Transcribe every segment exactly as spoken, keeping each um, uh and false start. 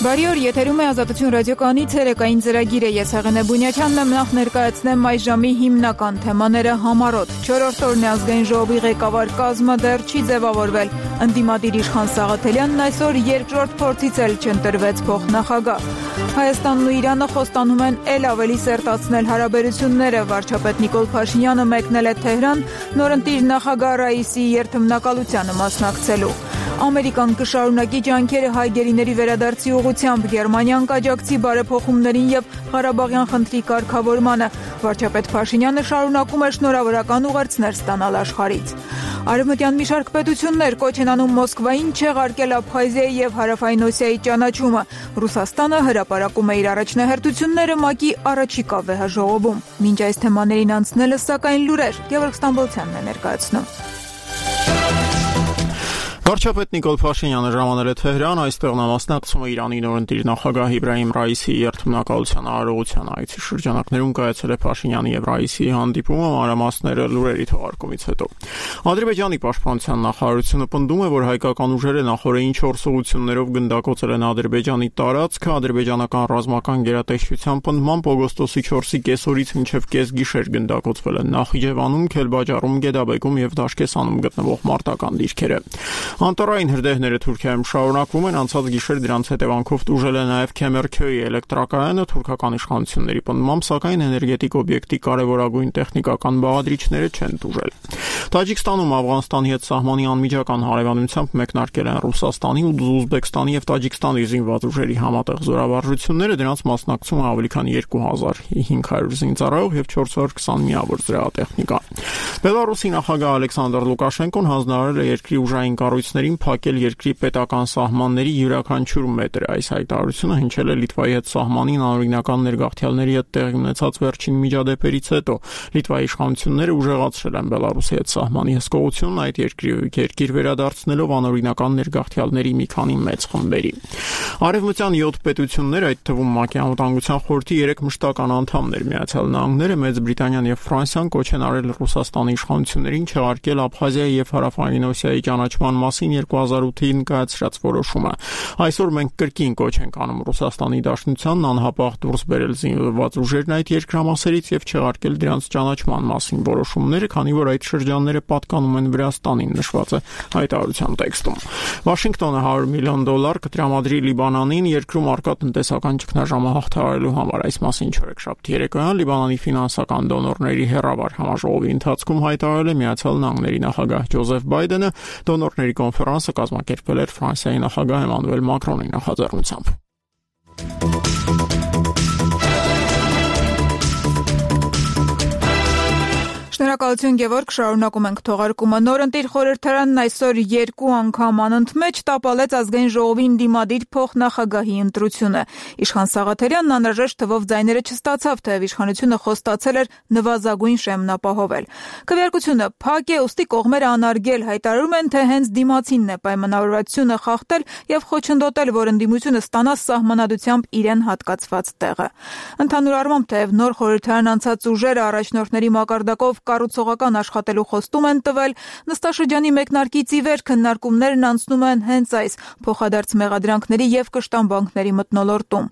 Բարի օր, եթերում է Ազատություն ռադիոկայանի ցերեկային ծրագիրը։ Ես Հեղինե Բունյաչյանն եմ, նախ ներկայացնեմ այս ժամի հիմնական թեմաները համառոտ։ Չորրորդ օրն է ազգային ժողովի ղեկավար կազմը դեռ չի ձևավորվել։ Ընդդիմադիր Իշխան Սաղաթելյանն այսօր երկրորդ փորձից էլ չընտրվեց փոխնախագահ։ Հայաստանն ու Իրանը խոստանում են ել ավելի սերտացնել հարաբերությունները։ Վարչապետ Նիկոլ Փաշինյանը մեկնել է Թեհրան նորընտիր նախագահ Ռաիսիի երթմնակալությանը մասնակցելու։ Ամերիկան կշարունակի ջանքերը հայ գերիների վերադարձի ուղղությամբ, Գերմանիան կաջակցի բարեփոխումներին եւ Ղարաբաղյան խնդրի կարգավորմանը։ Վարչապետ Փաշինյանը շարունակում է շնորհավորական ուղերձներ ստանալ աշխարհից։ Արևմտյան մի շարք պետություններ կոչ են անում Մոսկվային չեղարկել Աբխազիայի եւ Հարավային Օսիայի ճանաչումը։ Ռուսաստանը հրապարակում է իր առաջնահերթությունները ՄԱԿ-ի առաջիկա վեհաժողովում։ Մինչ այս թեմաներին անցնելը, սակայն լուրեր Գևորգ Ստամբոլցյանն է ներկայացնում։ Վարչապետ Նիկոլ Փաշինյանը ժամանել է Թեհրան, այստեղ նա մասնակցում է Իրանի նորընտիր նախագահ Իբրահիմ Ռաիսիի երթմնակալության արարողության այցի շրջանակներում կայացել է Փաշինյանի եւ Ռաիսիի հանդիպումը, մանրամասները լուրերի թողարկումից հետո։ Ադրբեջանի պաշտպանության նախարարությունը պնդում է, որ հայկական ուժերը նախորդին չորս ուղղություններով գնդակոծել են Ադրբեջանի տարածքը, ադրբեջանական ռազմական գերատեսչության պնդմամբ օգոստոսի չորսի կեսօրից մինչև կեսգիշեր գնդակոծվել են Նախիջևանում, Քելբաջարում, Գեդաբեկում եւ Դաշկեսանում գտնվող մարտական դիրքերը։ Անտարային հրդեհները Թուրքիայում շարունակվում են, անցած գիշեր դրանց հետևանքով տուժել է նաև Քեմերքյոյի էլեկտրակայանը, թուրքական իշխանությունների պնդմամբ, սակայն էներգետիկ օբյեկտի կարևորագույն տեխնիկական բաղադրիչները չեն տուժել։ Տաջիկստանում Աֆղանստանի հետ սահմանի անմիջական հարևանությամբ մեկնարկել են Ռուսաստանի ու Ուզբեկստանի եւ Տաջիկստանի զինված ուժերի համատեղ զորավարժությունները, դրանց մասնակցում է ավելի քան երկու հազար հինգ հարյուր զինծառայող եւ չորս հարյուր քսան միավոր զրահատեխնիկա։ Բելարուսի նախագահ Ալեքսանդր Լուկաշենկոն հանձնարարել է երկրի ուժային կառույցներին փակել երկրի պետական սահմանների յուրաքանչյուր մետր։ Այս հայտարարությունը հնչել է Լիտվայի հետ սահմանին անօրինական ներգաղթյալների հետ տեղի ունեցած վերջին միջադեպերից հետո։ Լիտվայի իշխանությունները ուժեղացրել են Բելարուսի հետ սահմանի հսկողությունն այդ երկրի երկիր վերադարձնելով անօրինական ներգաղթյալների մի քանի մեծ խմբերի։ Արևմտյան յոթ պետություններ, այդ թվում ՄԱԿ-ի անվտանգության խորհրդի երեք մշտական անդամներ Միացյալ Նահանգները, Մեծ Բրիտանիան եւ Ֆրանսիան կոչ են արել Ռուսաստանի իշխանություններին չեղարկել Աբխազիայի եւ Հարավային Օսիայի ճանաչման մասին երկու հազար ութին կայացրած որոշումը։ Այսօր մենք կրկին կոչ ենք անում Ռուսաստանի Դաշնությանն անհապաղ դուրս բերել զինված ուժերն այդ երկրամասերից եւ չեղարկել դրանց ճանաչման մասին որոշումները, քանի որ այդ շրջանները պատկանում են Վրաստանին, նշված է հայտարարության տեքստում։ Վաշինգտոնը հարյուր միլիոն դոլար կտրամադրի Լիբանանին երկրում առկա տնտեսական ճգնաժամը հաղթահարելու համար։ Այս մասին չորեքշաբթի երեկոյան Լիբանանի ֆինանսական դոնորների հերավար համաժողովի ընթացքում հայտարարել է Միացյալ Նահանգների նախագահ Ջոզեֆ Բայդենը, դոնորների կոնֆերանսը կազմակերպվել էր Ֆրանսիայի նախագահ Էմանուել Մակրոնի նախաձեռնությամբ։ Շնորհակալություն Գևորգ, շարունակում ենք թողարկումը։ Նորընտիր խորհրդարանն այսօր երկու անգամ անընդմեջ տապալեց ազգային ժողովի ընդդիմադիր փոխնախագահի ընտրությունը։ Իշխան Սաղաթելյանն անհրաժեշտ թվով ձայները չստացավ, թեև իշխանությունը խոստացել էր նվազագույն շեմն ապահովել։ Քվեարկությունը փակ է, ուստի կողմերը անարգել հայտարարում են, թե հենց դիմացինն է պայմանավորվածությունը խախտել եւ խոչընդոտել, որ ընդդիմությունը ստանա սահմանադրությամբ իրեն հատկացված տեղը։ Ընդհանուր առմամբ, թեև նոր խորհրդարան անցած ուժերը առաջնորդների մակարդակով կառուցողական աշխատելու խոստում են տվել, նստաշրջանի մեկնարկից ի վեր քննարկումներն անցնում են հենց այս փոխադարձ մեղադրանքների եւ կշտամբանքների մթնոլորտում։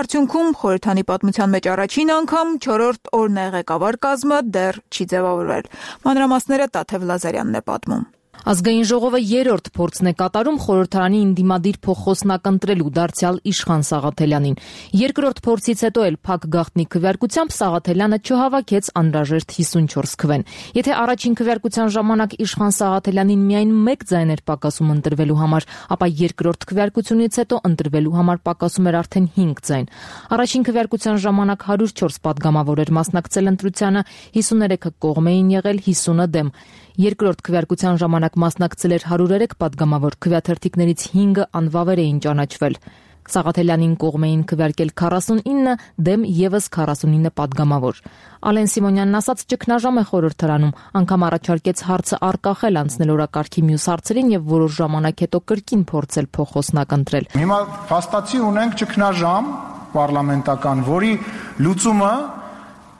Արդյունքում խորհրդանի պատմության մեջ առաջին անգամ չորրորդ օրն է ղեկավար կազմը դեռ չի ձևավորվել։ Մանրամասները Տաթև Լազարյանն է պատմում։ Ազգային ժողովը երրորդ փորձն է կատարում խորհրդարանի ընդդիմադիր փոխոսնակ ընտրելու դարձյալ Իշխան Սաղաթելյանին։ Երկրորդ փորձից հետո էլ փակ գաղտնի քվեարկությամբ Սաղաթելյանը չհավաքեց անհրաժեշտ հիսունչորս քվեն։ Եթե առաջին քվեարկության ժամանակ Իշխան Սաղաթելյանին միայն մեկ ձայն էր պակասում ընտրվելու համար, ապա երկրորդ քվեարկությունից հետո ընտրվելու համար պակասում էր արդեն հինգ ձայն։ Առաջին քվեարկության ժամանակ հարյուր չորս պատգամավոր էր մասնակցել ընտրությանը, հիսուներեքը կողմ էին եղել, հիսունը դեմ։ Երկրորդ քվեարկության ժամանակ մասնակցել էր հարյուր երեք պատգամավոր, քվեաթերթիկներից հինգը անվավեր էին ճանաչվել։ Սաղաթելյանին կողմ էին քվեարկել քառասունինը, դեմ եւս քառասունինը պատգամավոր։ Ալեն Սիմոնյանն ասաց, ճգնաժամ է խորհրդարանում, անգամ առաջարկեց հարցը առկախել անցնել օրակարգի մյուս հարցերին եւ որոշ ժամանակ հետո կրկին փորձել փոխոսնակ ընտրել։ Հիմա փաստացի ունենք ճգնաժամ պարլամենտական, որի լուծումը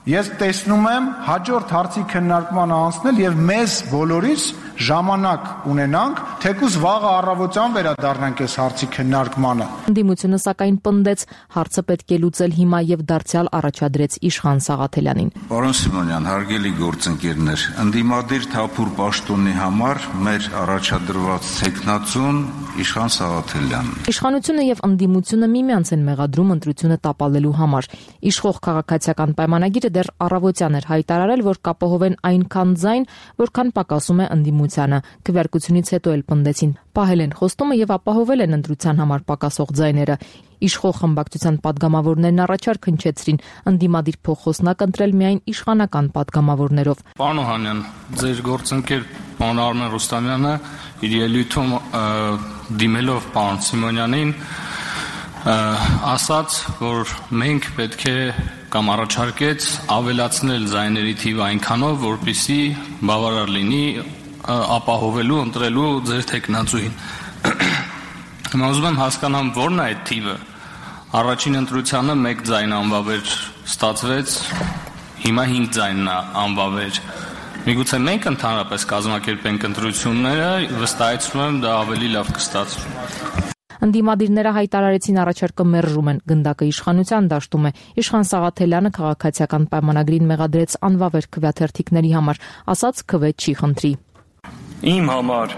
ես տեսնում եմ հաջորդ հարցի քննարկմանը անցնել եւ մեզ բոլորիս ժամանակ ունենանք թեկուզ վաղը առավոտյան վերադառնանք այս հարցի քննարկմանը։ Ընդդիմությունը սակայն պնդեց, հարցը պետք է լուծել հիմա եւ դարձյալ առաջադրեց Իշխան Սաղաթելյանին։ Պարոն Սիմոնյան, հարգելի գործընկերներ, ընդդիմադիր թափուր պաշտոնի համար մեր առաջադրված տեխնացուն Իշխան Սաղաթելյանն։ Իշխանությունը եւ ընդդիմությունը միմյանց են մեղադրում ընտրությունը տապալելու համար։ Իշխող քաղաքացիական պայմանագիրը դեռ առավոտյան էր հայտարարել, որ կապահովեն այնքան ձայն, որքան պակասում է ընդդիմությանը։ Քվեարկությունից հետո էլ պնդեցին, պահել են խոստումը եւ ապահովել են ընտրության համար պակասող ձայները։ Իշխող խմբակցության падգամավորներն առաջարկ հնչեցրին ընդդիմադիր փոխոսնակ ընտրել միայն իշխանական падգամավորներով։ Պարոն Օհանյան, ձեր գործընկեր պարոն Արմեն Ռուստամյանը իր ելույթում դիմելով պարոն Սիմոնյանին ասաց, որ մենք պետք է կամ առաջարկեց ավելացնել ձայների թիվը այնքանով, որպեսզի բավարար լինի ապահովելու ընտրելու ձեր տեխնացուին։ Հիմա ուզում եմ հասկանամ, որն է այդ թիվը։ Առաջին ընտրությանը մեկ ձայն անվավեր ստացվեց, հիմա հինգ ձայնն է անվավեր։ Միգուցե մենք ընդհանրապես կազմակերպենք ընտրությունները, վստահեցնում եմ դա ավելի լավ կստացվի։ Ընդդիմադիրները հայտարարեցին առաջարկը մերժում են, գնդակը իշխանության դաշտում է։ Իշխան Սաղաթելյանը քաղաքացիական պայմանագրին մեղադրեց անվավեր քվեաթերթիկների համար, ասաց քվե չի խնդրի։ Իմ համար,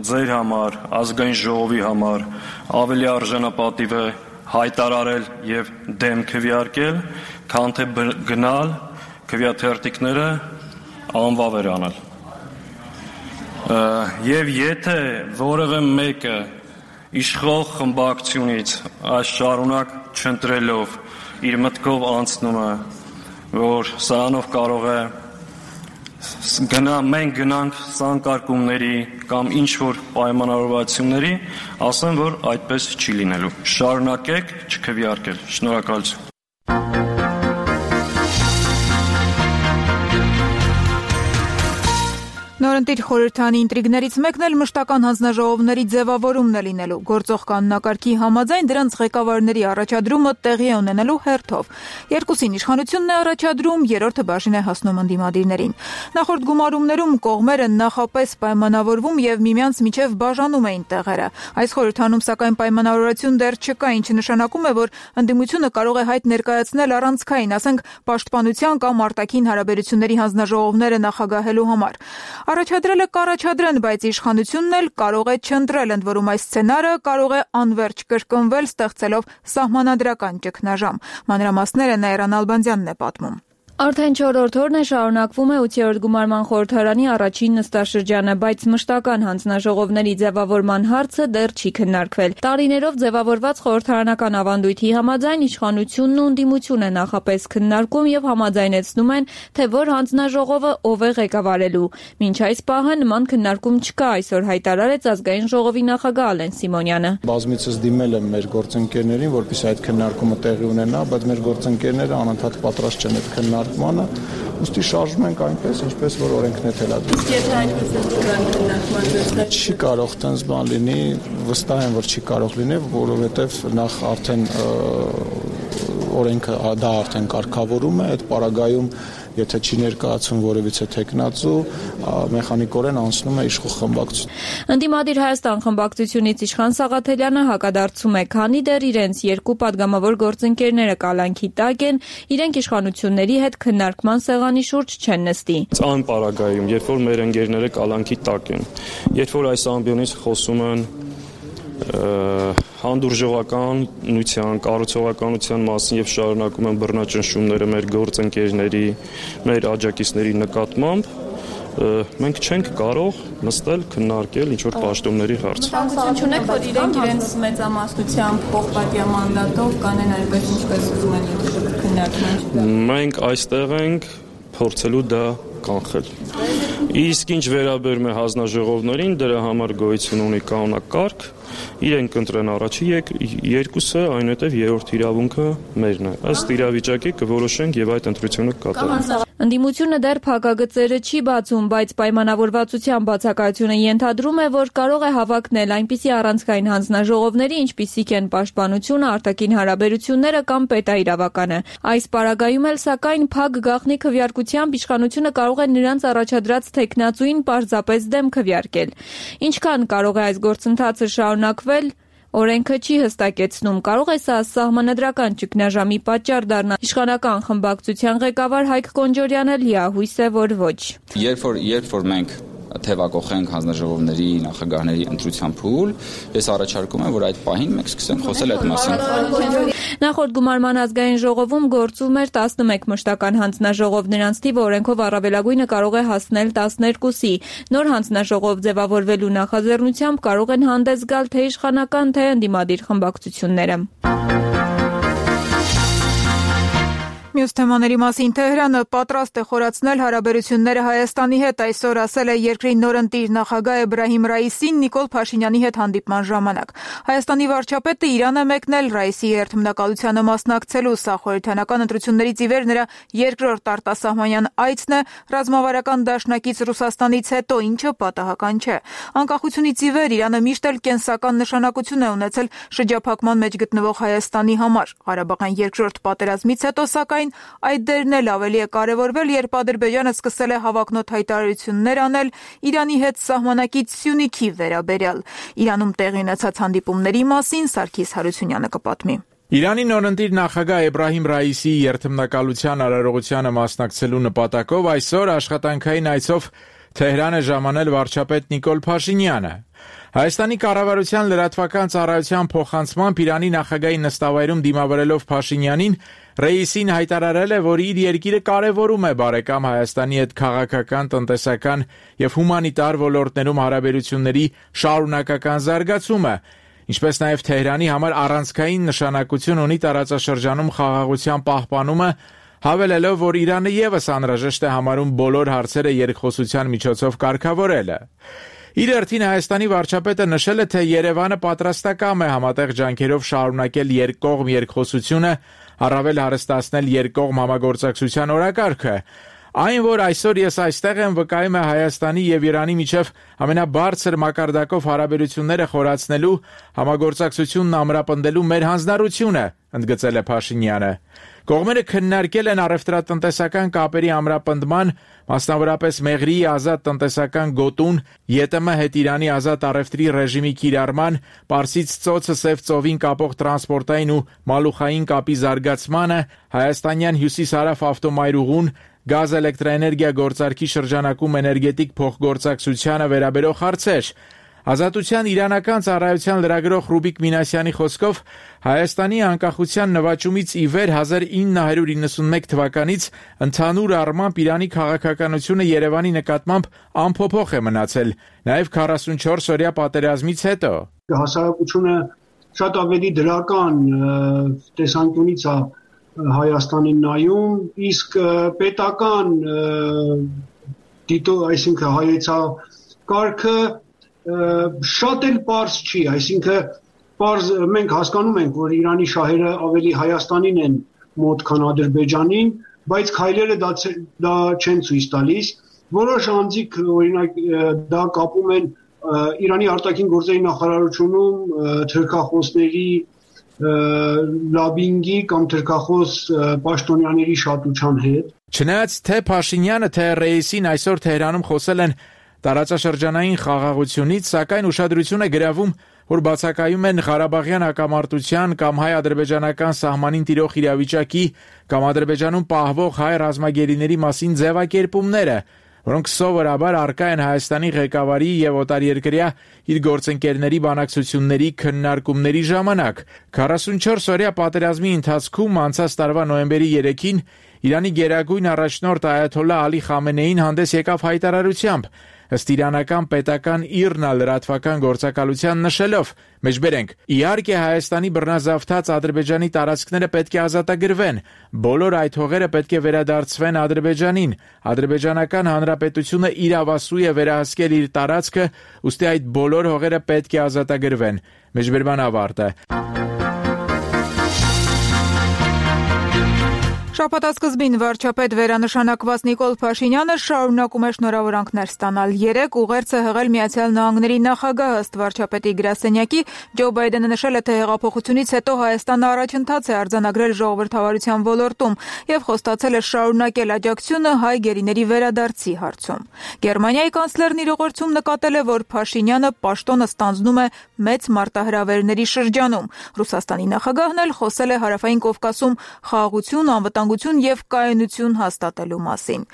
ձեր համար, ազգային ժողովի համար ավելի արժանապատիվ է հայտարարել եւ դեմ քվեարկել, քան թե գնալ քվեաթերթիկները անվավեր անել։ Եվ եթե որևէ մեկը իշխող խմբակցությունից այս շարունակ չընտրելով իր մտքով անցնում է, որ սրանով կարող է գնա մենք գնանք սանկարկումների կամ ինչ որ պայմանավորվածությունների, ասեմ, որ այդպես չի լինելու։ Շարունակեք չքվեարկել։ Շնորհակալություն։ Նորընտիր խորհրդանի ինտրիգներից մեկն էլ մշտական հանձնաժողովների ձևավորումն է լինելու։ Գործող կանոնակարգի համաձայն դրանց ղեկավարների առաջադրումը տեղի է ունենելու հերթով։ Երկուսին իշխանությունն է առաջադրում, երրորդը բաժին է հասնում ընդդիմադիրներին։ Նախորդ գումարումներում կողմերը նախապես պայմանավորվում եւ միմյանց միջև բաժանում էին տեղերը։ Այս խորհրդանում սակայն պայմանավորություն դեռ չկա, ինչը նշանակում է, որ ընդդիմությունը կարող է հայտ ներկայացնել առանցքային, ասենք պաշտպանության կամ արտաքին հարաբերությունների հանձնաժողովները նախագահելու համար։ Առաջադրելը կառաջադրեն, բայց իշխանությունն էլ կարող է չընտրել, ընդ որում այս սցենարը կարող է անվերջ կրկնվել, ստեղծելով սահմանադրական ճգնաժամ։ Մանրամասները Նաիրա Նալբանդյանն է պատմում։ Արդեն չորրորդ օրն է շարունակվում է ութերորդ գումարման խորհրդարանի առաջին նստաշրջանը, բայց մշտական հանձնաժողովների ձևավորման հարցը դեռ չի քննարկվել։ Տարիներով ձևավորված խորհրդարանական ավանդույթի համաձայն իշխանությունն ու ընդդիմությունը նախապես քննարկում եւ համաձայնեցնում են, թե որ հանձնաժողովը ով է ղեկավարելու։ Մինչ այս պահը նման քննարկում չկա, այսօր հայտարարեց ազգային ժողովի նախագահ Ալեն Սիմոնյանը։ Բազմիցս դիմել եմ մեր գործընկերներին, որպեսզի այդ քննարկումը տեղի ունենա, բայց մեր գործընկերները անընդհատ պատրաստ չեն այդ քննարկմանը, ուստի շարժում ենք այնպես, ինչպես որ օրենքն է թելադրում։ Եթե այնպես է քննարկման չի կարող տենց բան լինի, վստահ եմ, որ չի կարող լինի, որովհետև նախ արդեն օրենքը դա արդեն կարգավորում է, այդ պարագայում եթե չի ներկայացում որևիցե տեխնացու, մեխանիկորեն անցնում է իշխող խմբակցություն։ Ընդդիմադիր Հայաստան խմբակցությունից Իշխան Սաղաթելյանը հակադարձում է, քանի դեռ իրենց երկու падգամավոր գործընկերները կալանքի տակ են, իրենք իշխանությունների հետ քննարկման սեղանի շուրջ չեն նստի։ Այն պարագայում, երբ որ մեր ընկերները կալանքի տակ են, երբ որ այս ամբիոնից խոսում են հանդուրժողականության, կառուցողականության մասին եւ շարունակում են բռնաճնշումները մեր գործընկերների, մեր աջակիցների նկատմամբ, մենք չենք կարող նստել քննարկել ինչ որ պաշտոնների հարց։ Ցանկություն չունեք, որ իրենք իրենց մեծամասնությամբ փոխպատիա մանդատով կանեն այնպես ինչպես ուզում են քննարկման։ Մենք այստեղ ենք փորձելու դա կանխել։ Իսկ ինչ վերաբերում է հանձնաժողովներին, դրա համար գոյություն ունի կանոնակարգ, իրենք ընտրեն առաջի երկուսը, այնուհետև երրորդ իրավունքը մերն է։ Ըստ իրավիճակի կորոշենք եւ այդ ընտրությունը կկատարենք։ Ընդդիմությունը դեռ փակագծերը չի բացում, բայց պայմանավորվածության բացակայությունը ենթադրում է, որ կարող է հավակնել այնպիսի առանցքային հանձնաժողովների, ինչպիսիք են պաշտպանությունը, արտաքին հարաբերությունները կամ պետաիրավականը։ Այս պարագայում էլ սակայն փակ գաղտնի քվեարկությամբ իշխանությունը կարող է նրանց առաջադրած թեկնածուին պարզապես դեմ քվեարկել։ Ինչքան կարող է այս գործընթացը շարունակվել, օրենքը չի հստակեցնում, կարող է սա սահմանադրական ճգնաժամի պատճառ դառնալ։ Իշխանական խմբակցության ղեկավար Հայկ Կոնջորյանը լիահույս է, որ ոչ։ Երբ որ երբ որ մենք թեվակողենք հանձնաժողովների նախագահների ընտրության փուլ, ես առաջարկում եմ, որ այդ պահին մենք սկսենք խոսել այդ մասին։ Նախորդ գումարման ազգային ժողովում գործում էր տասնմեկ մշտական հանձնաժողով, նրանց թիվը օրենքով առավելագույնը կարող է հասնել տասներկուսի։ Նոր հանձնաժողով ձևավորվելու նախաձեռնությամբ կարող են հանդես գալ թե իշխանական, թե ընդդիմադիր խմբակցությունները։ Մյուս թեմաների մասին Թեհրանը պատրաստ է խորացնել հարաբերությունները Հայաստանի հետ, այսօր ասել է երկրի նորընտիր նախագահ Էբրահիմ Ռայիսին Նիկոլ Փաշինյանի հետ հանդիպման ժամանակ։ Հայաստանի վարչապետը Իրան է մեկնել Ռայիսի երթմնակալությանը մասնակցելու, սա խորհրդանական ընտրություններից ի վեր նրա երկրորդ արտասահմանյան այցն է ռազմավարական դաշնակից Ռուսաստանից հետո, ինչը պատահական չէ։ Անկախությունից ի վեր Իրանը միշտ էլ կենսական նշանակություն է ունեցել շրջափակման մեջ գտնվող Հայաստանի համար։ Ղարաբաղյան երկրորդ պատերազմից հետո սակայն այդ դերն էլ ավելի է կարևորվել, երբ Ադրբեջանը սկսել է հավակնոտ հայտարարություններ անել Իրանի հետ սահմանակից Սյունիքի վերաբերյալ։ Իրանում տեղի ունեցած հանդիպումների մասին Սարգիս Հարությունյանը կպատմի։ Իրանի նորընտիր նախագահ Էբրահիմ Ռայիսի երթմնակալության արարողությանը մասնակցելու նպատակով այսօր աշխատանքային այցով Թեհրան է ժամանել վարչապետ Նիկոլ Փաշինյանը։ Հայաստանի կառավարության լրատվական ծառայության փոխանցմամբ Իրանի նախագահի նստավայրում դիմավորելով Փաշինյանին, Ռայիսին հայտարարել է, որ իր երկիրը կարևորում է բարեկամ Հայաստանի հետ քաղաքական, տնտեսական եւ հումանիտար ոլորտներում հարաբերությունների շարունակական զարգացումը, ինչպես նաեւ Թեհրանի համար առանցքային նշանակություն ունի տարածաշրջանում խաղաղության պահպանումը, հավելելով, որ Իրանը եւս անհրաժեշտ է համարում բոլոր հարցերը երկխոսության միջոցով կարգավորելը։ Իր հերթին Հայաստանի վարչապետը նշել է, թե Երևանը պատրաստակամ է համատեղ ջանքերով շարունակել երկկողմ երկխոսությունը, առավել հարստացնել երկկողմ համագործակցության օրակարգը։ Այն, որ այսօր ես այստեղ եմ, վկայում է Հայաստանի եւ Իրանի միջև ամենաբարձր մակարդակով հարաբերությունները խորացնելու, համագործակցությունն ամրապնդելու մեր հանձնառությունը, ընդգծել է Փաշինյանը։ Կողմերը քննարկել են առևտրատնտեսական կապերի ամրապնդման, մասնավորապես Մեղրիի ազատ տնտեսական գոտուն, ԵՏՄ հետ Իրանի ազատ առևտրի ռեժիմի կիրառման, Պարսից ծոցը Սև ծովին կապող տրանսպորտային ու մալուխային կապի զարգացմանը, հայաստանյան հյուսիս-հարավ ավտոմայրուղուն, գազ էլեկտրաէներգիա գործարքի շրջանակում էներգետիկ փոխգործակցությանը վերաբերող հարցեր։ Ազատության իրանական ծառայության լրագրող Ռուբիկ Մինասյանի խոսքով Հայաստանի անկախության նվաճումից ի վեր հազար ինը հարյուր իննսունմեկ թվականից ընդհանուր առմամբ Իրանի քաղաքականությունը Երևանի նկատմամբ անփոփոխ է մնացել, նաև քառասունչորս օրյա պատերազմից հետո։ Հասարակությունը շատ ավելի դրական տեսանկյունից է Հայաստանին նայում, իսկ պետական դիտո, այսինքն հայեցակարգը շատ էլ պարզ չի, այսինքն պարզ մենք հասկանում ենք, որ Իրանի շահերը ավելի Հայաստանին են մոտ, քան Ադրբեջանին, բայց քայլերը դա, դա չեն ցույց տալիս։ Որոշ անձիկ օրինակ դա կապում են Իրանի արտաքին գործերի նախարարությունում թրքախոսների լաբինգի կամ թրքախոս պաշտոնյաների շատության հետ։ Չնայած թե Փաշինյանը, թե Ռայիսին այսօր Թեհրանում խոսել են տարածաշրջանային խաղաղությունից, սակայն ուշադրություն է գրավում, որ բացակայում են Ղարաբաղյան հակամարտության կամ հայ-ադրբեջանական սահմանին տիրող իրավիճակի կամ Ադրբեջանում պահվող հայ ռազմագերիների մասին ձևակերպումները, որոնք սովորաբար առկա են Հայաստանի ղեկավարի եւ օտարերկրյա իր գործընկերների բանակցությունների քննարկումների ժամանակ։ քառասունչորս օրյա պատերազմի ընթացքում անցած տարվա նոյեմբերի երեքին Իրանի գերագույն առաջնորդ Այաթոլլահ Ալի Խամենեին հանդես եկավ հայտարարությամբ, ըստ իրանական պետական ԻՌՆԱ լրատվական գործակալության նշելով. Մեջբերենք, իհարկե Հայաստանի բռնազավթած Ադրբեջանի տարածքները պետք է ազատագրվեն, բոլոր այդ հողերը պետք է վերադարձվեն Ադրբեջանին, Ադրբեջանական Հանրապետությունը իրավասու է վերահսկել իր տարածքը, ուստի այդ բոլոր հողերը պետք է ազատագրվեն։ Մեջբերման ավարտը։ Շաբաթասկզբին վարչապետ վերանշանակված Նիկոլ Փաշինյանը շարունակում է շնորհավորանքներ ստանալ։ Երեկ ուղերձը հղել Միացյալ Նահանգների նախագահ ըստ վարչապետի գրասենյակի Ջո Բայդենը նշել է, թե հեղափոխությունից հետո Հայաստանը առաջընթաց է արձանագրել ժողովրդավարության ոլորտում եւ խոստացել է շարունակել աջակցությունը հայ գերիների վերադարձի հարցում։ Գերմանիայի կանցլերն իր ուղերձում նկատել է, որ Փաշինյանը պաշտոնը ստանձնում է մեծ մարտահրավերների շրջանում։ Ռուսաստանի նախագահն էլ խոսել է Հարավային Կովկասում խաղաղություն, անվտանգություն եւ կայունություն հաստատելու մասին։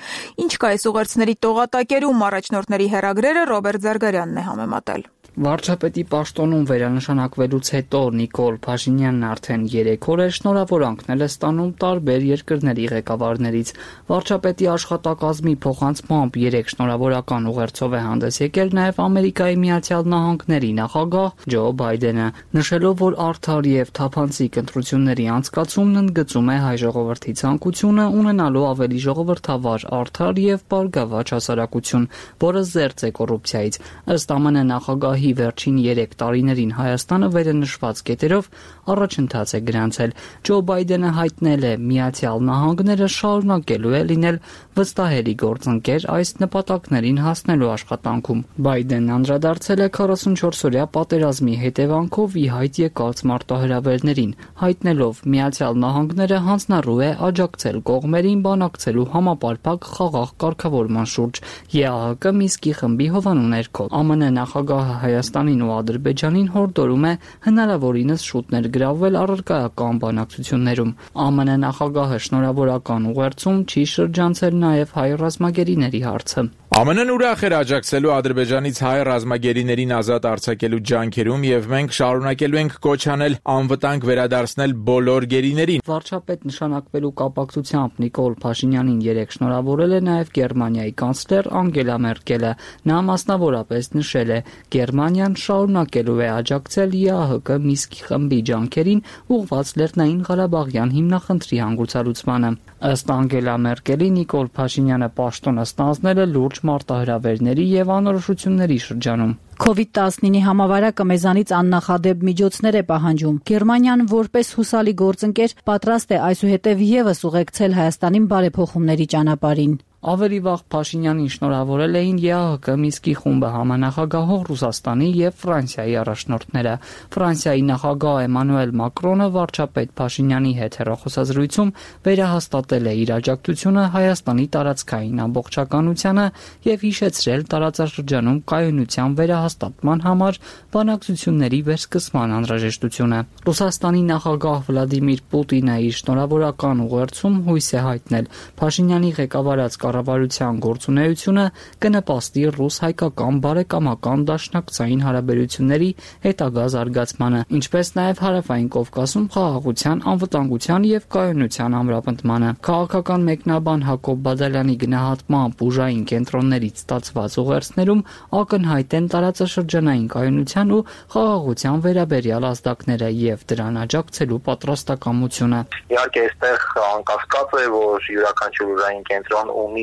Ինչ կա այս ուղերձների տողատակերում, առաջնորդների հեռագրերը Ռոբերտ Զարգարյանն է համեմատել։ Վարչապետի պաշտոնում վերանշանակվելուց հետո Նիկոլ Փաշինյանն արդեն երեք օր է շնորհավորանքներ է ստանում տարբեր երկրների ղեկավարներից։ Վարչապետի աշխատակազմի փոխանցմամբ երեք շնորհավորական ուղերձով է հանդես եկել նաև Ամերիկայի Միացյալ Նահանգների նախագահ Ջո Բայդենը, նշելով, որ արդար եւ թափանցիկ ընտրությունների անցկացումն ընդգծում է հայ ժողովրդի ցանկությունը ունենալու ավելի ժողովրդավար, արդար եւ բարգավաճ հասարակություն, որը զերծ է կոռուպցիայից։ Ըստ ԱՄՆ նախագահի վերջին երեք տարիներին Հայաստանը վերնշված կետերով առաջընթաց է գրանցել։ Ջո Բայդենը հայտնել է, Միացյալ Նահանգները շարունակելու է լինել վստահելի գործընկեր այս նպատակներին հասնելու աշխատանքում։ Բայդենն անդրադարձել է քառասունչորսօրյա պատերազմի հետևանքով ի հայտ եկած մարտահրավերներին, հայտնելով Միացյալ Նահանգները հանձնառու է աջակցել կողմերին բանակցելու համապարփակ խաղաղ կարգավորման շուրջ ԵԱՀԿ Մինսկի խմբի հովանու ներքո։ ԱՄՆ նախագահը Հայաստանին ու Ադրբեջանին հորդորում է հնարավորինս շուտ ներգրավվել առարկայական բանակցություններում։ ԱՄՆ նախագահը շնորհավորական ուղերձում չի շրջանցել նաև հայ ռազմագերիների հարցը։ ԱՄՆ-ն ուրախ էր աջակցելու Ադրբեջանից հայ ռազմագերիներին ազատ արձակելու ջանքերում եւ մենք շարունակելու ենք կոչ անել անվտանգ վերադարձնել բոլոր գերիներին։ Վարչապետ նշանակվելու կապակցությամբ Նիկոլ Փաշինյանին երեկ շնորհավորել է նաև Գերմանիայի կանցլեր Անգելա Մերկելը։ Նա մասնավորապես նշել է, Գերմանիան շարունակելու է աջակցել ԵԱՀԿ Մինսկի խմբի ջանքերին ուղղված Լեռնային Ղարաբաղյան հիմնախնդրի հանգուցալուծմանը։ Ըստ Անգելա Մերկելի, Նիկոլ Փաշինյանը պաշտոնը ստանձնել է լուրջ մարտահրավերների եւ անորոշությունների շրջանում։ քովիդ տասնինի համավարակը մեզանից աննախադեպ միջոցներ է պահանջում։ Գերմանիան որպես հուսալի գործընկեր պատրաստ է այսուհետև եւս ուղեկցել Հայաստանին բարեփոխումների ճանապարհին։ Ավելի վաղ Փաշինյանին շնորհավորել էին ԵԱՀԿ Մինսկի խումբը համանախագահող Ռուսաստանի եւ Ֆրանսիայի առաջնորդները։ Ֆրանսիայի նախագահ Էմանուել Մակրոնը վարչապետ Փաշինյանի հետ հեռախոսազրույցում վերահաստատել է իր աջակցությունը Հայաստանի տարածքային ամբողջականությանը եւ հիշեցրել տարածաշրջանում կայունության վերահաստատման համար բանակցությունների վերսկսման անհրաժեշտությունը։ Ռուսաստանի նախագահ Վլադիմիր Պուտինը իր շնորհավորական ուղերձում հույս է հայտնել Փաշինյանի ղեկավարած կառավարության գործունեությունը կնպաստի ռուս-հայկական բարեկամական դաշնակցային հարաբերությունների հետագա զարգացմանը, ինչպես նաև Հարավային Կովկասում խաղաղության, անվտանգության եւ կայունության ամրապնդմանը։ Քաղաքական մեկնաբան Հակոբ Բադալյանի գնահատմամբ ուժային կենտրոններից ստացված ուղերձներում ակնհայտ են տարածաշրջանային կայունության ու խաղաղության վերաբերյալ ազդակները եւ դրան աջակցելու պատրաստակամությունը։ Իհարկե, այստեղ անկասկած է, որ յուրաքանչյուր ուժային կենտրոն ունի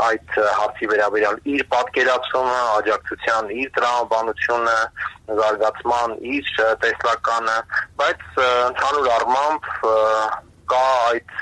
այդ հարցի վերաբերյալ իր պատկերացումը, աջակցության իր տրամաբանությունը, զարգացման իր տեսլականը, բայց ընդհանուր առմամբ կա այդ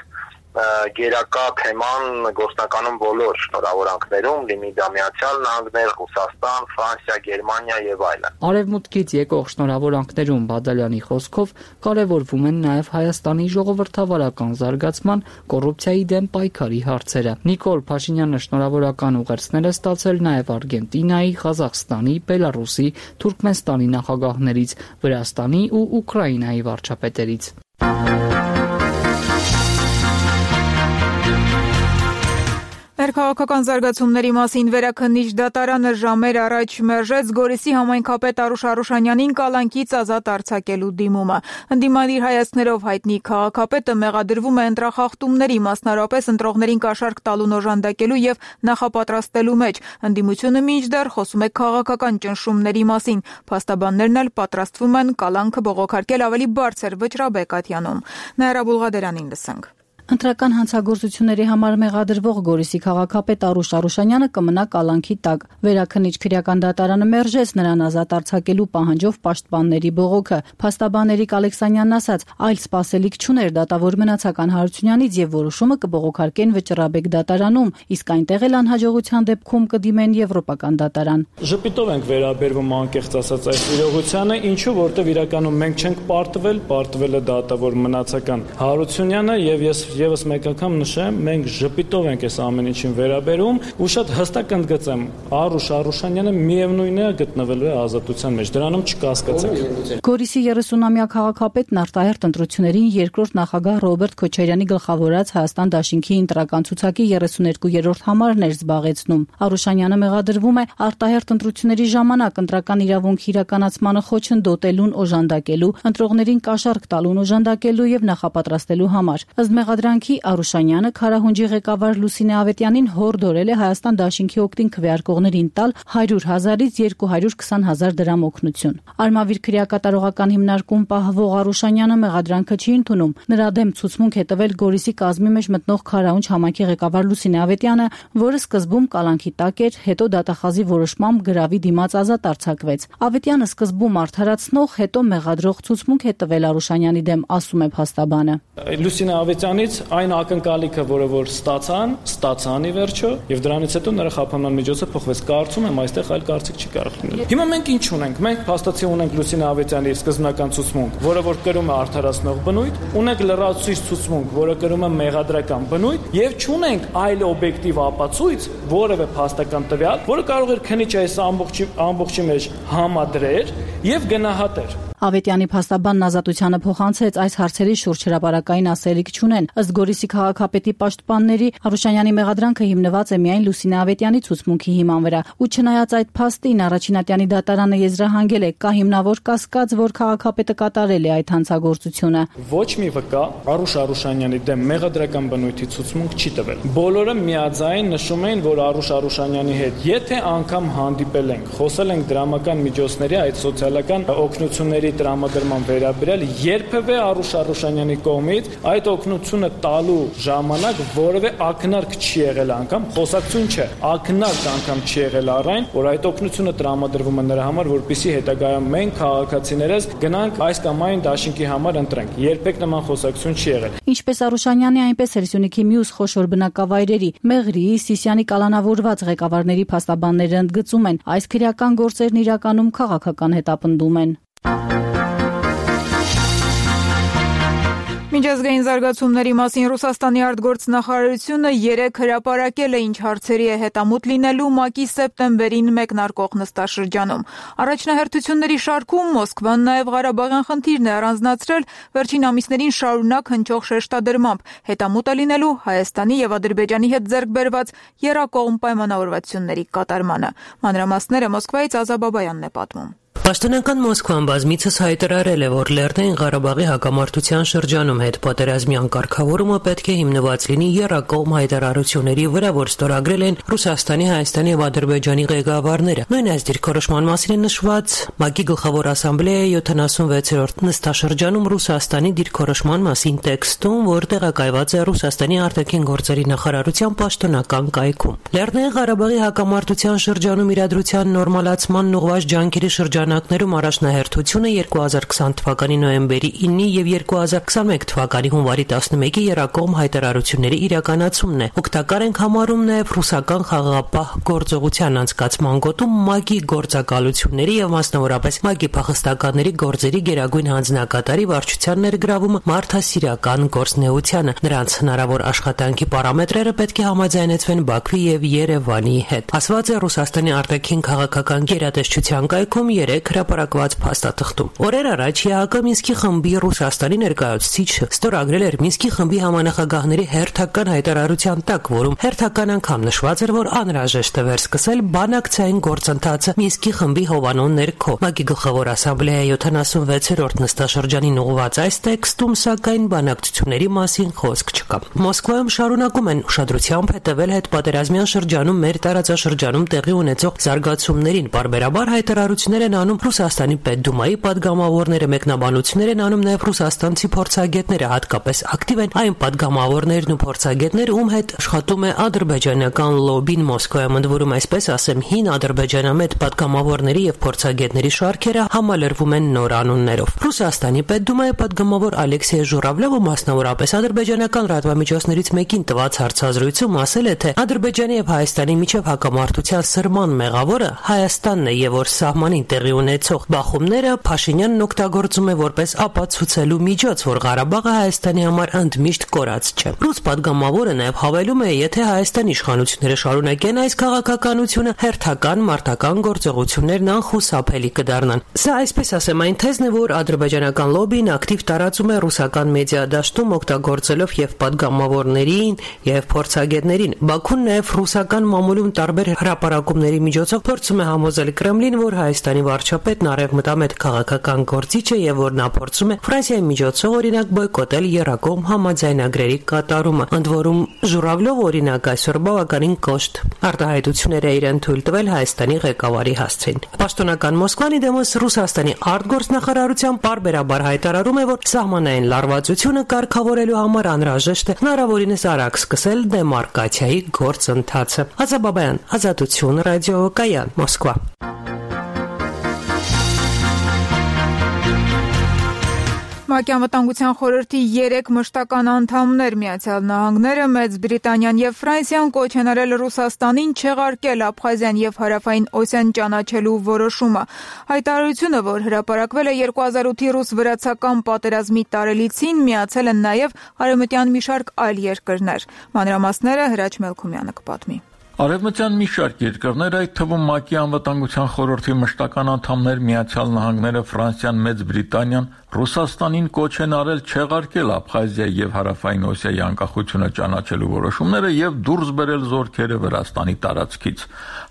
գերակա թեման գործնականում բոլոր շնորհավորանքներում, լինի դա Միացյալ Նահանգներ, Ռուսաստան, Ֆրանսիա, Գերմանիա եւ այլն։ Արևմուտքից եկող շնորհավորանքներում Բադալյանի խոսքով կարևորվում են նաև Հայաստանի ժողովրդավարական զարգացման, կոռուպցիայի դեմ պայքարի հարցերը։ Նիկոլ Փաշինյանը շնորհավորական ուղերձներ է ստացել նաև Արգենտինայի, Ղազախստանի, Բելարուսի, Թուրքմենստանի նախագահներից, Վրաստանի ու Ուկրաինայի վարչապետերից։ Ներքաղաքական զարգացումների մասին վերաքննիչ դատարանը ժամեր առաջ մերժեց Գորիսի համայնքապետ Արուշ Արուշանյանին կալանքից ազատ արձակելու դիմումը։ Ընդդիմադիր հայացքներով հայտնի քաղաքապետը մեղադրվում է ընտրախախտումների, մասնարարապես ընտրողներին կաշառք տալուն օժանդակելու եւ նախապատրաստելու մեջ։ Ընդդիմությունը մինչդեռ խոսում է քաղաքական ճնշումների մասին։ Փաստաբաններն էլ պատրաստվում են կալանքը բողոքարկել ավելի բարձր վճռաբեկատյանում։ Նաիրա Բուլղադերանին լսենք։ Ընտրական հանցագործությունների համար մեղադրվող Գորիսի քաղաքապետ Արուշ Արուշանյանը կմնա կալանքի տակ։ Վերաքննիչ քրեական դատարանը մերժեց նրան ազատ արձակելու պահանջով պաշտպանների բողոքը։ Փաստաբան Էրիկ Ալեքսանյանն ասաց, այլ սպասելիք չուներ դատավոր մնացական Հարությունյանից եւ որոշումը կբողոքարկեն վճռաբեկ դատարանում, իսկ այնտեղ էլ անհաջողության դեպքում կդիմեն եվրոպական դատարան։ Ժպիտով ենք վերաբերվում անկեղծ ասած այս իրողությանը, ինչու որտեղ իրականում մենք չենք պարտվել, պարտվել է դատավոր մնացական Հարությունյանը եւ ես Եվս մեկ անգամ նշեմ, մենք ժպիտով ենք այս ամեն ինչին վերաբերում ու շատ հստակ ընդգծեմ, Արուշ Արուշանյանը միևնույն է գտնվելու է ազատության մեջ, դրանում չկասկածեք։ Գորիսի երեսունամյա քաղաքապետն արտահերթ ընտրություններին երկրորդ նախագահ Ռոբերտ Քոչարյանի գլխավորած Հայաստան դաշինքի ընտրական ցուցակի երեսուներկուերորդ համարն էր զբաղեցնում։ Արուշանյանը մեղադրվում է արտահերթ ընտրությունների ժամանակ ընտրական իրավունքի իրականացմանը խոչընդոտելուն, օժանդակելու, ընտրողներին կաշառք տալուն օժանդակելու եւ նախապատրաստելու համար։ Ըստ մեղադրանքի Արուշանյանը Քարահունջի ղեկավար Լուսինե Ավետյանին հորդորել է Հայաստան դաշինքի օգտին քվեարկողներին տալ հարյուր հազարից երկու հարյուր քսան հազար դրամ օգնություն։ Արմավիր քրեակատարողական հիմնարկում պահվող Արուշանյանը մեղադրանքը չի ընդունում։ Նրա դեմ ցուցմունք է տվել Գորիսի կազմի մեջ մտնող Քարահունջ համայնքի ղեկավար Լուսինե Ավետյանը, որը սկզբում կալանքի տակ էր, հետո դատախազի որոշմամբ գրավի դիմաց ազատ արձակվեց։ Ավետյանը սկզբում արդարացնող, հետո մեղադրող ցուցմունք է տվել Արուշանյանի դեմ, ասում է փաստաբանը։ Լուսինե Ավետյանից այն ակնկալիքը, որը որ ստացան, ստացան ի վերջո, եւ դրանից հետո նրա խափանման միջոցը փոխվեց։ Կարծում եմ այստեղ այլ կարծիք չի կարող լինել։ Հիմա մենք ինչ ունենք։ Մենք փաստացի ունենք Լուսինե Ավետյանի սկզբնական ցուցմունք, որը որ կրում է արդարացնող բնույթ, ունենք լրացուցիչ ցուցմունք, որը կրում է մեղադրական բնույթ, եւ չունենք այլ օբյեկտիվ ապացույց, որևէ փաստական տվյալ, որը կարող էր քննիչը այս ամբողջի ամբողջի մեջ համադրեր եւ գնահատեր։ Ավետյանի փաստաբանն ազատությանը փոխանցեց այս հարցերի շուրջ հրապարակային ասելիք չունեն։ Ըստ Գորիսի քաղաքապետի պաշտպանների Արուշանյանի մեղադրանքը հիմնված է միայն Լուսինե Ավետյանի ցուցմունքի հիման վրա։ Ու չնայած այդ փաստին առաջինատյանի դատարանը եզրահանգել է, կա հիմնավոր կասկած, որ քաղաքապետը կատարել է այդ հանցագործությունը։ Ոչ մի վկա Արուշ Արուշանյանի դեմ մեղադրական բնույթի ցուցմունք չի տվել։ Բոլորը միաձայն նշում են, որ Արուշ Արուշանյանի հետ եթե անգամ հանդիպել ենք, խոսել ենք դրամական միջոցների, այդ սոցիալական օգնությունների տրամադրման վերաբերյալ, երբևէ Արուշ Արուշանյանի կողմից այդ օգնությունը տալու ժամանակ որևէ ակնարկ չի եղել անգամ, խոսակցություն չէ, ակնարկ անգամ չի եղել առայն, որ այդ օգնությունը տրամադրվում է նրա համար, որպեսզի հետագայում մենք քաղաքացիներս գնանք այս կամ այն դաշինքի համար ընտրենք։ Երբեք նման խոսակցություն չի եղել։ Ինչպես Արուշանյանի, այնպես էլ Սյունիքի մյուս խոշոր բնակավայրերի Մեղրի, Սիսիանի կալանավորված ղեկավարների փաստաբանները ընդգծում են, այս քրեական գործերն իրականում քաղաքական հետապնդում են։ Միջազգային զարգացումների մասին Ռուսաստանի արտգործնախարարությունը երեկ հրապարակել է, ինչ հարցերի է հետամուտ լինելու ՄԱԿ-ի սեպտեմբերին մեկնարկող նստաշրջանում։ Առաջնահերթությունների շարքում Մոսկվան նաև Ղարաբաղյան խնդիրն է առանձնացրել վերջին ամիսներին շարունակ հնչող շեշտադրմամբ, հետամուտ է լինելու Հայաստանի եւ Ադրբեջանի հետ ձեռք բերված եռակողմ պայմանավորվածությունների կատարմանը։ Մանրամասները Մոսկվայից Ազա Բաբայանն է պատմում։ Պաշտոնական Մոսկվան բազմիցս հայտարարել է, որ Լեռնային Ղարաբաղի հակամարտության շրջանում հետ պատերազմյան կարգավորումը պետք է հիմնված լինի եռակողմ հայտարարությունների վրա, որ ստորագրել են Ռուսաստանի, Հայաստանի եւ Ադրբեջանի ղեկավարները։ Նույն այս դիրքորոշման մասին է նշված ՄԱԿ-ի գլխավոր ասամբլեայի յոթանասունվեցերորդ նստաշրջանում Ռուսաստանի դիրքորոշման մասին տեքստում, որ տեղակայված է Ռուսաստանի արտաքին գործերի նախարարության պաշտոնական կայքում։ Լեռնային Ղարաբաղի հակամարտության շրջանում իրադրության նորմալացման ուղղված ջանքերի շրջան ներում առաջնահերթությունը երկու հազար քսան թվականի նոյեմբերի ինի եւ երկու հազար քսանմեկ թվականի հունվարի տասնմեկի եռակողմ հայտարարությունների իրականացումն է։ Օգտակար ենք համարում նաեւ ռուսական խաղաղապահ գործողության անցկացման գոտում ՄԱԿ-ի գործակալությունների եւ մասնավորապես ՄԱԿ-ի փախստականների գործերի գերագույն հանձնակատարի վարչության ներգրավումը մարդասիրական գործնեությանը։ Նրանց հնարավոր աշխատանքի պարամետրերը պետք է համաձայնեցվեն Բաքվի եւ Երևանի հետ։ Ասված է Ռուսաստանի արտաքին քաղաքական գերատեսչության կայքում երեք մեկ հրապարակված փաստաթղթում։ Օրեր առաջ ԵԱՀԿ Մինսկի խմբի Ռուսաստանի ներկայացուցիչը ստորագրել էր Մինսկի խմբի համանախագահների հերթական հայտարարության տակ, որում հերթական անգամ նշված էր, որ անհրաժեշտ է վերսկսել բանակցային գործընթացը Մինսկի խմբի հովանու ներքո։ ՄԱԿ-ի գլխավոր ասամբլեայի յոթանասունվեցերորդ նստաշրջանին ուղղված այս տեքստում սակայն բանակցությունների մասին խոսք չկա։ Մոսկվայում շարունակում են ուշադրությամբ հետևել հետպատերազմյան շրջանում մեր տարածաշրջանում տեղի ունեցող զարգացումներին, պարբերաբար հայտարարություններ են անում Ռուսաստանի Պետդումայի падգամավորները, մեկնաբանություններ են անում նաև ռուսաստանցի փորձագետները, հատկապես ակտիվ են այն падգամավորներն ու փորձագետները, ում հետ աշխատում է ադրբեջանական լոբին Մոսկվայում, ընդ որում այսպես ասեմ, հին ադրբեջանամետ падգամավորների եւ փորձագետների շարքերը համալրվում են նոր անուններով։ Ռուսաստանի Պետդումայի падգամավոր Ալեքսեյ Ժուրավլովը մասնավորապես ադրբեջանական լրատվամիջոցներից մեկին տված հարցազրույցում ասել է, թե Ադրբեջանի եւ Հայաստանի միջև հակամարտության սրման մեղավորը Հայաստանն է եւ որ սահմանին տեղի ունեցող բախումները Փաշինյանն օգտագործում է որպես ապացուցելու միջոց, որ Ղարաբաղը Հայաստանի համար ընդմիշտ կորած չէ։ Ռուս падգամավորը նաեւ հավելում է, եթե Հայաստանի իշխանությունները շարունակեն այս քաղաքականությունը, հերթական մարտական գործողություններն անխուսափելի կդառնան։ Սա այսպես ասեմ այն թեզն է, որ ադրբեջանական լոբին ակտիվ տարածում է ռուսական մեդիա դաշտում օգտագործելով եւ падգամավորներին եւ փորձագետներին։ Բաքուն նաեւ ռուսական մամուլում տարբեր հրապարակումների միջոցով փորձում է համոզել Կրեմլին, որ Հայաստանի վարչապետն արևմտամետ քաղաքական գործիչ է եւ որ նա փորձում է Ֆրանսիայի միջոցով օրինակ բոյկոտել եռակողմ համաձայնագրերի կատարումը։ Ընդ որում Ժուրավլով օրինակ այսօր բավականին կոշտ արտահայտություններ է իրեն թույլ տվել Հայաստանի ղեկավարի հասցեին։ Պաշտոնական Մոսկվան դեմոս Ռուսաստանի արտգործնախարարության պարբերաբար հայտարարում է, որ սահմանային լարվածությունը կարգավորելու համար անհրաժեշտ է հնարավորինս արագ սկսել դեմարկացիայի գործընթացը։ Ազաբաբայան, Ազատություն, ռադիոկայան, Մոսկվա։ ՄԱԿ-ի անվտանգության խորհրդի երեք մշտական անդամներ Միացյալ Նահանգները, Մեծ Բրիտանիան եւ Ֆրանսիան կոչ են արել Ռուսաստանին չեղարկել Աբխազիան եւ Հարավային Օսիան ճանաչելու որոշումը։ Հայտարարությունը, որ հրապարակվել է երկու հազար ութի ռուս-վրացական պատերազմի տարելիցին, միացել են նաեւ արևմտյան մի շարք այլ երկրներ։ Մանրամասները Հրաչ Մելքումյանը կպատմի։ Արևմտյան մի շարք երկրներ, այդ թվում ՄԱԿ-ի անվտանգության խորհրդի մշտական անդամներ Միացյալ Նահանգները, Ֆրանսիան, Մեծ Բրիտանիան Ռուսաստանին կոչ են արել չեղարկել Աբխազիայի եւ Հարավային Օսիայի անկախությունը ճանաչելու որոշումները եւ դուրս բերել զորքերը Վրաստանի տարածքից։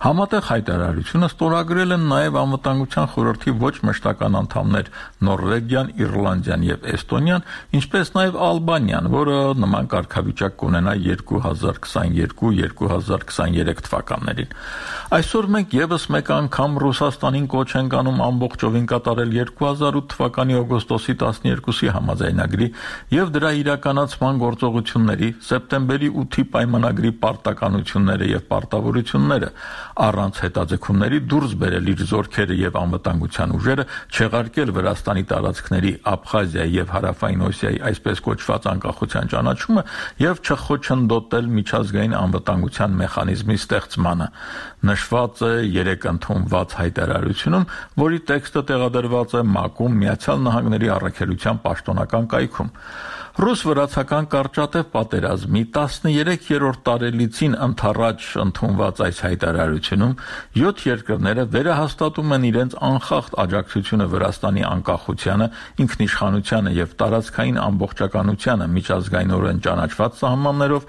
Համատեղ հայտարարությունը ստորագրել են նաեւ անվտանգության խորհրդի ոչ մշտական անդամներ Նորվեգիան, Իռլանդիան եւ Էստոնիան, ինչպես նաեւ Ալբանիան, որը նման կարգավիճակ կունենա երկու հազար քսաներկու երկու հազար քսաներեք թվականներին։ Այսօր մենք եւս մեկ անգամ Ռուսաստանին կոչ ենք անում ամբողջովին կատարել երկու հազար ութ թվականի օգոստոսի տասներկուսի համաձայնագրի եւ դրա իրականացման գործողությունների, սեպտեմբերի ութի պայմանագրի պարտականությունները եւ պարտավորությունները, առանց հետաձգումների դուրս բերել իր զորքերը եւ անվտանգության ուժերը, չեղարկել Վրաստանի տարածքների Աբխազիայի եւ Հարավային Օսիայի այսպես կոչված անկախության ճանաչումը եւ չխոչընդոտել միջազգային անվտանգության մեխանիզմի ստեղծմանը։ Նշված է երեք ընդունված հայտարարությունում, որի տեքստը տեղադրված է ՄԱԿ-ում Միացյալ Նահանգների առաքելության պաշտոնական կայքում։ Ռուս-վրացական կարճատև պատերազմի տասներեքերորդ տարելիցին ընդառաջ ընդունված այս հայտարարությունում յոթ երկրները վերահաստատում են իրենց անխախտ աջակցությունը Վրաստանի անկախությանը, ինքնիշխանությանը եւ տարածքային ամբողջականությանը միջազգայինորեն ճանաչված սահմաններով,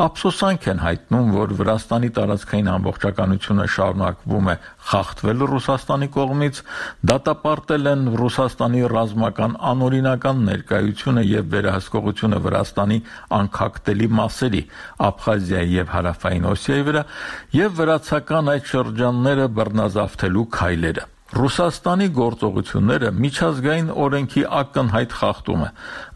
ափսոսանք են հայտնում, որ Վրաստանի տարածքային ամբողջականությունը շարունակվում է խախտվել Ռուսաստանի կողմից, դատապարտել են Ռուսաստանի ռազմական անօրինական ներկայությունը եւ վերահսկողությունը Վրաստանի անկախտելի մասերի Աբխազիայի եւ Հարավային Օսիայի վրա եւ վրացական այդ շրջանները բռնազավթելու քայլերը։ Ռուսաստանի գործողությունները միջազգային օրենքի ակնհայտ խախտում է,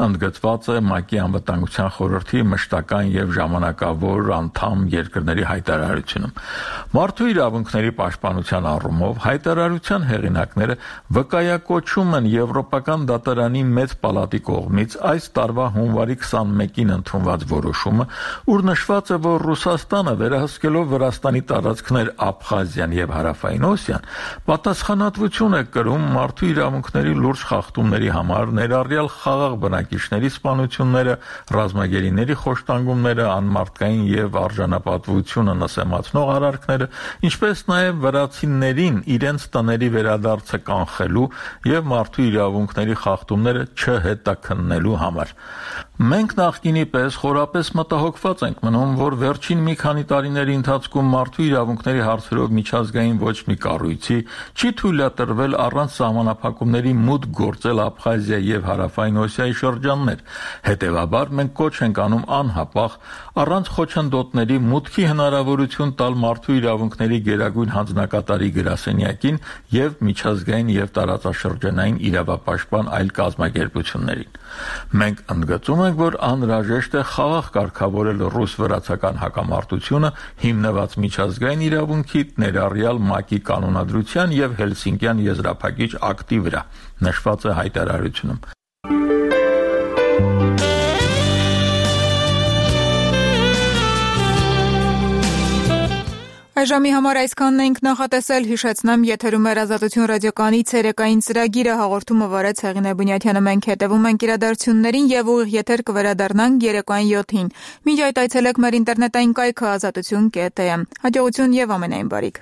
ընդգծված է ՄԱԿ-ի անվտանգության խորհրդի մշտական եւ ժամանակավոր անդամ երկրների հայտարարությունում։ Մարդու իրավունքների պաշտպանության առումով հայտարարության հեղինակները վկայակոչում են Եվրոպական դատարանի մեծ պալատի կողմից այս տարվա հունվարի քսանմեկին ընդունված որոշումը, ուր նշված է, որ Ռուսաստանը վերահսկելով Վրաստանի տարածքներ Աբխազիան եւ Հարավային Օսիան, պատասխան Պատասխանատվություն է կրում մարդու իրավունքների լուրջ խախտումների համար, ներառյալ խաղաղ բնակիչների սպանությունները, ռազմագերիների խոշտանգումները, անմարդկային եւ արժանապատվությունը նսեմացնող արարքները, ինչպես նաեւ վրացիներին իրենց տների վերադարձը կանխելու եւ մարդու իրավունքների խախտումները չհետաքննելու համար։ Մենք նախկինի պես խորապես մտահոգված ենք մնում, որ վերջին մի քանի տարիների ընթացքում մարդու իրավունքների հարցերով միջազգային ոչ մի կառույցի չի թույլատրվել առանց սահմանափակումների մուտք գործել Աբխազիա եւ Հարավային Օսիայի շրջաններ։ Հետևաբար մենք կոչ ենք անում անհապաղ առանց խոչընդոտների մուտքի հնարավորություն տալ մարդու իրավունքների գերագույն հանձնակատարի գրասենյակին եւ միջազգային եւ տարածաշրջանային իրավապաշտպան այլ կազմակերպություններին։ Մենք ընդգծում ենք, որ անհրաժեշտ է խաղաղ կարգավորել ռուս-վրացական հակամարտությունը հիմնված միջազգային իրավունքի, ներառյալ ՄԱԿ-ի կանոնադրության եւ Հելսինկյան եզրափակիչ ակտի վրա, նշված է հայտարարությունում։ Այժմի համար այսքանն էինք նախատեսել, հիշեցնեմ, եթերում էր Ազատություն ռադիոկայանի ցերեկային ծրագիրը, հաղորդումը վարեց Հեղինե Բունյաթյանը, մենք հետևում ենք իրադարձություններին եւ ուղիղ եթեր կվերադառնանք երեկոյան յոթին։ Մինչ այդ այցելեք մեր ինտերնետային կայքը ազատություն կետ է։ Հաջողություն եւ ամենայն բարիք։